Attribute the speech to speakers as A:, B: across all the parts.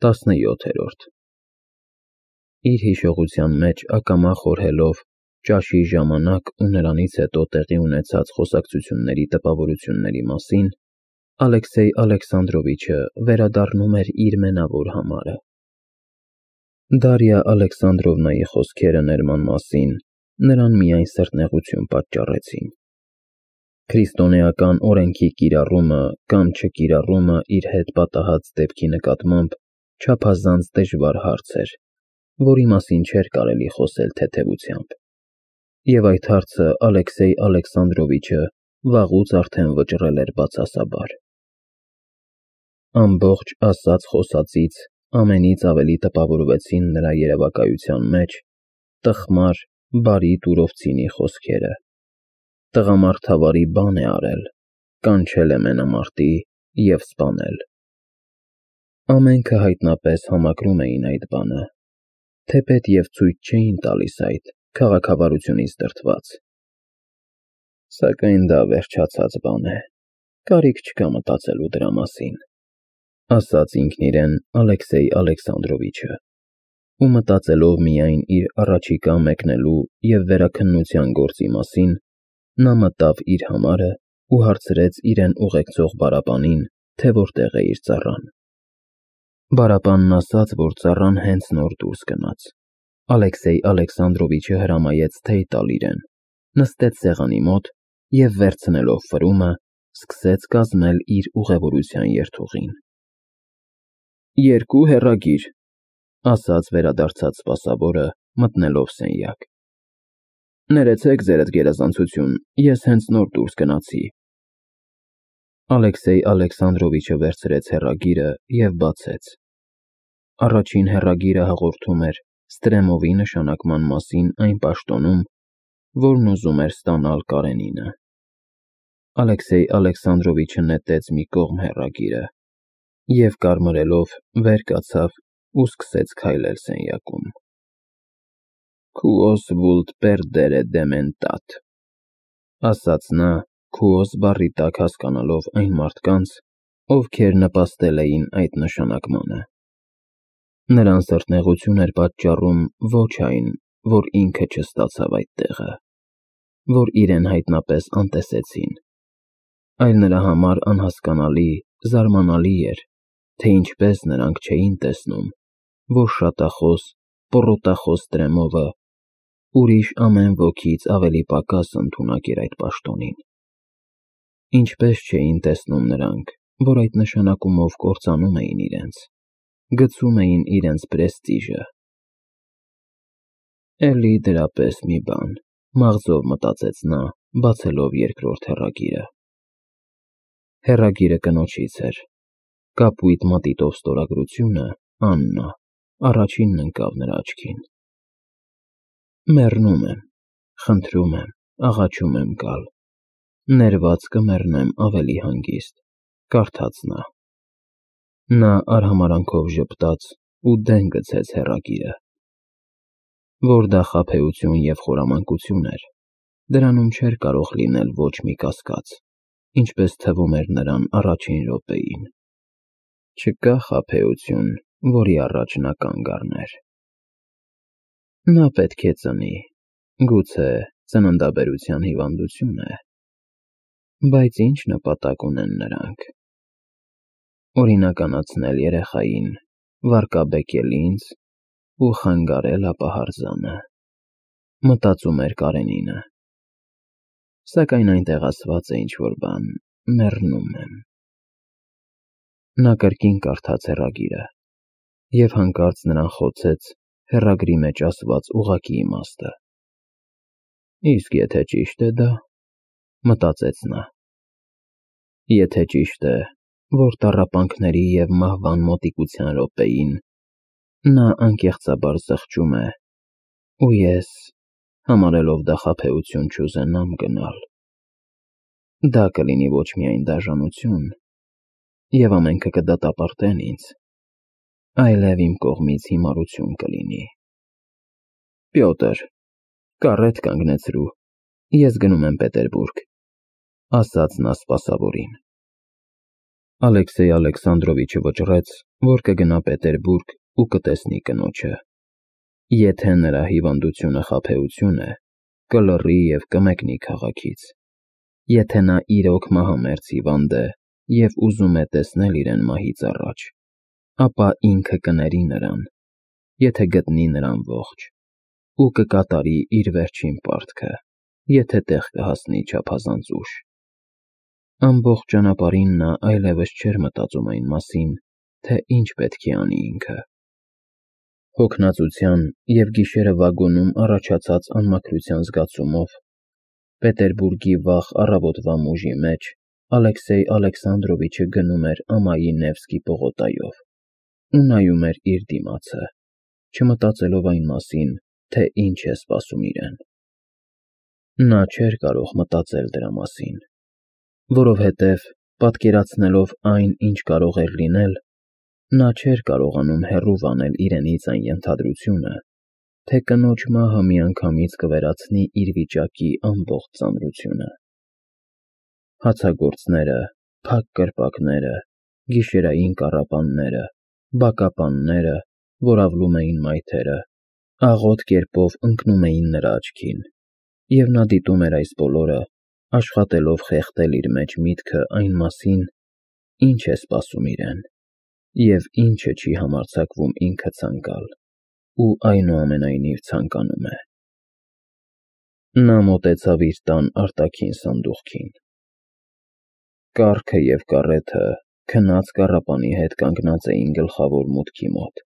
A: 17-րդ Իր հիշողության մեջ ակամա խորհելով ճաշի ժամանակ ու նրանից հետո տեղի ունեցած խոսակցությունների տպավորությունների մասին, Ալեքսեյ Ալեքսանդրովիչը վերադառնում էր իր մենավոր համարը։ Դարիա Ալեքսանդրովնայի խոսքերը ներման մասին նրան միայն սրտնեղություն պատճառեցին։ Քրիստոնեական օրենքի կիրառումը կամ չկիրառումը իր հետ պատահած դեպքի նկատմամբ չափազանց դժվար հարց էր, որի մասին չէր կարելի խոսել թեթևությամբ, և այդ հարցը Ալեքսեյ Ալեքսանդրովիչը վաղուց արդեն վճռել էր բացասաբար։ Ամբողջ ասած-խոսածից ամենից ավելի տպավորվեցին նրա երևակայության մեջ տխմար, բարի Տուրովցինի խոսքերը. «Տղամարդավարի բան է արել, կանչել է մենամարտի և սպանել»։ Ամենքը հայտնապես համակրում էին այդ բանը, թեպետ և ցույց չէին տալիս այդ, քաղաքավարությունից դրդված։ Սակայն դա վերջացած բան է, կարիք չկա մտածելու դրա մասին, ասաց ինքն իրեն Ալեքսեյ Ալեքսանդրովիչը, ու մտածելով միայն իր առաջիկա մեկնելու և վերաքննության գործի մասին, նա մտավ իր համարը ու հարցրեց իրեն ուղեկցող բառապանին, թե որտեղ է իր ծառան։ Բառապանն ասաց, որ ծառան հենց նոր դուրս գնաց։ Ալեքսեյ Ալեքսանդրովիչը հրամայեց թեյ տալ իրեն, նստեց սեղանի մոտ և, վերցնելով ֆրումը, սկսեց կազմել իր ուղևորության երթուղին։ «Երկու հեռագիր», ասաց վերադարձած սպասավորը, մտնելով սենյակ։ «Ներեցեք, ձերդ գերազանցություն, ես հենց նոր դուրս գնացի»։ Ալեքսեյ Ալեքսանդրովիչը վերցրեց հեռագիրը և բացեց։ Առաջին հեռագիրը հաղորդում էր Ստրեմովի նշանակման մասին այն պաշտոնում, որն ուզում էր ստանալ Կարենինը։ Ալեքսեյ Ալեքսանդրովիչը նետեց մի կողմ հեռագիրը և, կարմրելով, վեր կացավ ու սկսեց քայլել սենյակում։ «Քուոս վուլտ պերդերը դեմենտատ», ասաց նա, քուոս բառի տակ հասկանալով այն մարդկանց, ովքեր նպաստել էին այդ նշանակմանը։ Նրան սրտնեղություն էր պատճառում ոչ այն, որ ինքը չստացավ այդ տեղը, որ իրեն հայտնապես անտեսեցին, այլ նրա համար անհասկանալի, զարմանալի էր, թե ինչպես նրանք չէին տեսնում, որ շատախոս, պոռոտախոս Ստրեմովը ուրիշ ամեն ոքից ավելի պակաս ընդունակ էր այդ պաշտոնին։ Ինչպես չէին տեսնում նրանք, որ այդ նշանակումով կործանում էին իրենց, գցում էին իրենց պրեստիժը։ Էլի դրա պես մի բան, մաղձով մտածեց նա, բացելով երկրորդ հեռագիրը։ Հեռագիրը կնոջից էր։ Կապույտ մատիտով ստորագրությունը Աննա առաջինն ընկավ նրա աչքին։ «Մեռնում եմ, խնդրում եմ, աղաչում եմ գալ, ներված կմեռնեմ ավելի հանգիստ», կարդաց նա։ Նա արհամարհանքով ժպտաց ու դեն գցեց հեռագիրը։ Որ դա խաբեություն և խորամանկություն էր, դրանում չէր կարող լինել ոչ մի կասկած, ինչպես թվում էր նրան առաջին րոպեին։ Չկա խաբեություն, որի առաջ նա կանգ առներ։ Նա պետք է ծնի, գուցե ծննդաբերության հիվանդություն է, բայց ինչ նպատակ ունեն նրանք։ Օրինականացնել երեխային, վարկաբեկել ինձ ու խանգարել ապահարզանը, մտածում էր Կարենինը։ Սակայն այնտեղ ասված է ինչ-որ բան, մեռնում եմ։ Նա կրկին կարդաց հեռագիրը, և հանկարծ նրան խոցեց հեռագրի մեջ ասված ուղղակի իմաստը։ Իսկ եթե ճիշտ է դա, մտածեց նա։ Եթե ճիշտ է, որ տառապանքների և մահվան մոտիկության րոպեին նա անկեղծաբար զղջում է, ու ես, համարելով դա խաբեություն, չուզենամ գնալ, դա կլինի ոչ միայն դաժանություն, և ամենքը կդատապարտեն ինձ, այլև իմ կողմից հիմարություն կլինի։ Պյոտր, կառետ կանգնեցրու, ես գնում եմ Պետերբուրգ, ասաց նա սպասավորին։ Ալեքսեյ Ալեքսանդրովիչը վճռեց որ կգնա Պետերբուրգ ու կտեսնի կնոջը։ Եթե նրա հիվանդությունը խաբեություն է, կլռի և կմեկնի քաղաքից։ Եթե նա իրոք մահամերձ հիվանդ է և ուզում է տեսնել իրեն մահից առաջ, ապա ինքը կների նրան, եթե գտնի նրան ողջ, ու կկատարի իր վերջին պարտքը, եթե տեղ կհասնի չափազանց ուշ։ Ամբողջ ճանապարհին նա այլևս չէր մտածում այն մասին, թե ինչ պետք է անի ինքը։ Հոգնածության և գիշերը վագոնում առաջացած անմաքրության զգացումով Պետերբուրգի վաղ առավոտվա մուժի մեջ Ալեքսեյ Ալեքսանդրովիչը գնում էր ամայի Նևսկի պողոտայով ու նայում էր իր դիմացը, չմտածելով այն մասին, թե ինչ է սպասում իրեն։ Նա չէր կարող մտածել դրա մասին, որովհետև, պատկերացնելով այն, ինչ կարող էր լինել, նա չէր կարողանում հեռու վանել իրենից այն ենթադրությունը, թե կնոջ մահը միանգամից կվերացնի իր վիճակի ամբողջ ծանրությունը։ Հացագործները, փակ կրպակները, գիշերային կառապանները, բակապանները, որ ավլում էին մայթերը, աղոտ կերպով ընկնում էին նրա աչքին, և նա դիտում էր այս բոլորը, աշխատելով խեղդել իր մեջ միտքը այն մասին, ինչ է սպասում իրեն, և ինչը չի համարձակվում ինքը ցանկալ, ու այնուամենայնիվ ցանկանում է։ Նա մոտեցավ իր տան արտաքին սանդուղքին։ Կառքը և կառեթը քնած կառապանի հետ կանգնած էին գլխավոր մուտքի մոտ։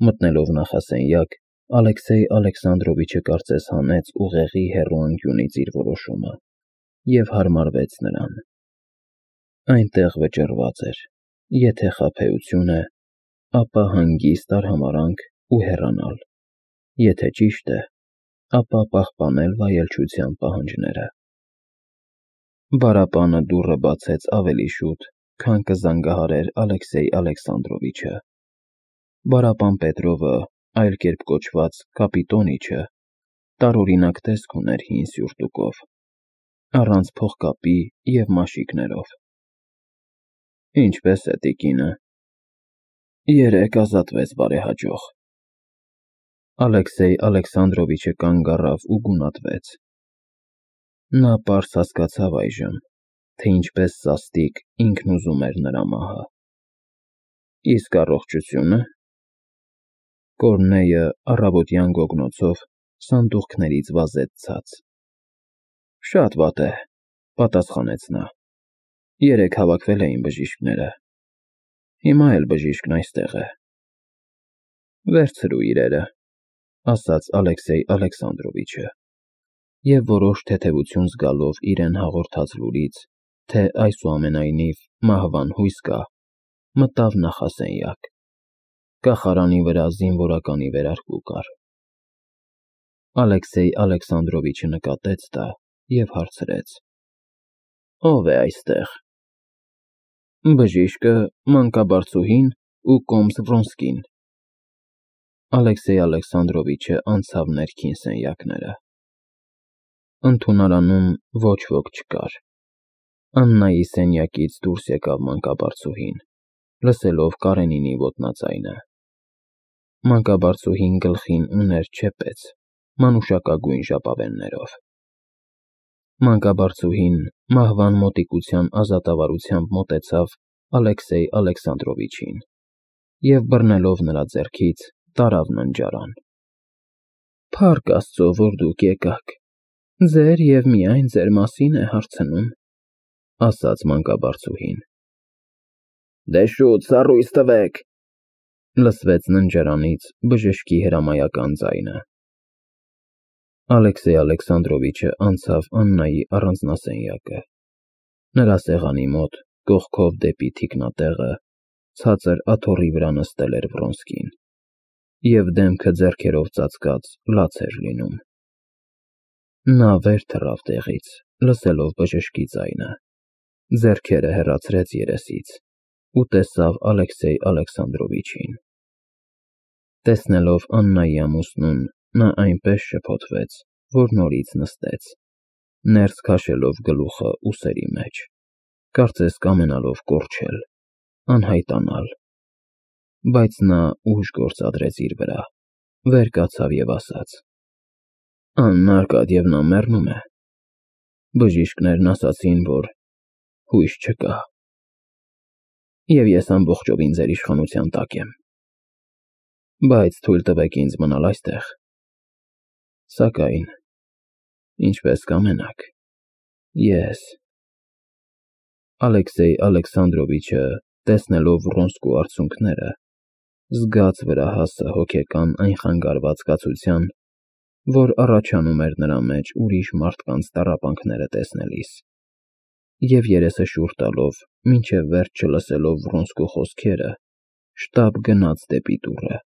A: Մտնելով նախասենյակ, Ալեքսեյ Ալեքսանդրովիչը կարծես հանեց ուղեղի հեռու անկյունից իր որոշումը և հարմարվեց նրան։ Այնտեղ վճռված էր, եթե խաբեություն է, ապա հանգիստ արհամարհանք ու հեռանալ, եթե ճիշտ է, ապա պահպանել վայելչության պահանջները։ Բարապանը դուռը բացեց ավելի շուտ, քան կզանգահարեր Ալեքսեյ Ալեքսանդրովիչը։ Բարապան Պետրովը, այլ կերպ կոչված Կապիտոնիչը, տարօրինակ տեսք ուներ հին սյուրտուկով, առանց փողկապի և մաշիկներով։ Ինչպե՞ս է տիկինը։ Երեկ ազատվեց բարեհաջող։ Ալեքսեյ Ալեքսանդրովիչը կանգ առավ ու գունատվեց։ Նա պարզ հասկացավ այժմ, թե ինչպես սաստիկ ինքն ուզում էր նրա մահը։ Իսկ առողջությո՞ւնը։ Կորնեյը առավոտյան գոգնոցով սանդուղքներից վազեց ցած։ Շատ վատ է, պատասխանեց նա։ Երեկ հավաքվել էին բժիշկները։ Հիմա էլ բժիշկն այստեղ է։ Վերցրու իրերը, ասաց Ալեքսեյ Ալեքսանդրովիչը, և որոշ թեթևություն զգալով իրեն հաղորդած լուրից, թե այսուամենայնիվ մահվան հույս կա, մտավ նախասենյակ։ Կախարանի վրա զինվորականի վերարկու կար։ Ալեքսեյ Ալեքսանդրովիչը նկատեց դա և հարցրեց. Ո՞վ է այստեղ։ Բժիշկը, մանկաբարձուհին ու կոմս Վրոնսկին։ Ալեքսեյ Ալեքսանդրովիչը անցավ ներքին սենյակները։ Ընդունարանում ոչ ոք չկար։ Աննայի սենյակից դուրս եկավ մանկաբարձուհին, լսելով Կարենինի ոտնաձայնը։ Մանկաբարձուհին գլխին ուներ չեպեց, մանուշակագույն ժապավեններով։ Մանկաբարձուհին մահվան մոտիկության ազատավարությամբ մոտեցավ Ալեքսեյ Ալեքսանդրովիչին և բռնելով նրա ձեռքից տարավ ննջարան։ Փառք Աստծո, որ դուք եկաք։ Ձեր և միայն ձեր մասին է հարցնում, ասաց մանկաբարձուհին։ Դե շուտ սառույց տվեք, լսվեց ննջարանից բժշկի հրամայական ձայնը։ Ալեքսեյ Ալեքսանդրովիչը անցավ Աննայի առանձնասենյակը։ Նրա սեղանի մոտ, կողքով դեպի թիկնատեղը, ցածր աթոռի վրա նստել էր Վրոնսկին, և դեմքը ձեռքերով ծածկած լաց էր լինում։ Նա վեր թռավ տեղից, լսելով բժշկի ձայնը, ձեռքերը հեռացրեց երեսից ու տեսավ Ալեքսեյ Ալեքսանդրովիչին։ Տեսնելով Աննայի ամուսնուն, նա այնպես շփոթվեց, որ նորից նստեց, ներս քաշելով գլուխը ուսերի մեջ, կարծես կամենալով կորչել, անհայտանալ, բայց նա ուժ գործադրեց իր վրա, վեր կացավ և ասաց. «Աննա Արկադիևնա մեռնում է։ Բժիշկներն ասացին, որ հույս չկա, և ես ամբողջովին ձեր իշխանության տակ եմ, բայց թույլ տվեք ինձ մնալ այստեղ, սակայն, ինչպես կամենաք, ես…» Ալեքսեյ Ալեքսանդրովիչը, տեսնելով Վռոնսկու արցունքները, զգաց վրա հասը հոգեկան այն խանգարված զգացության, որ առաջանում էր նրա մեջ ուրիշ մարդկանց տառապանքները տեսնելիս, և երեսը շուռ տալով, մինչև վերջ չլսելով Վռոնսկու խոսքերը, շտապ գնաց դեպի դուռը։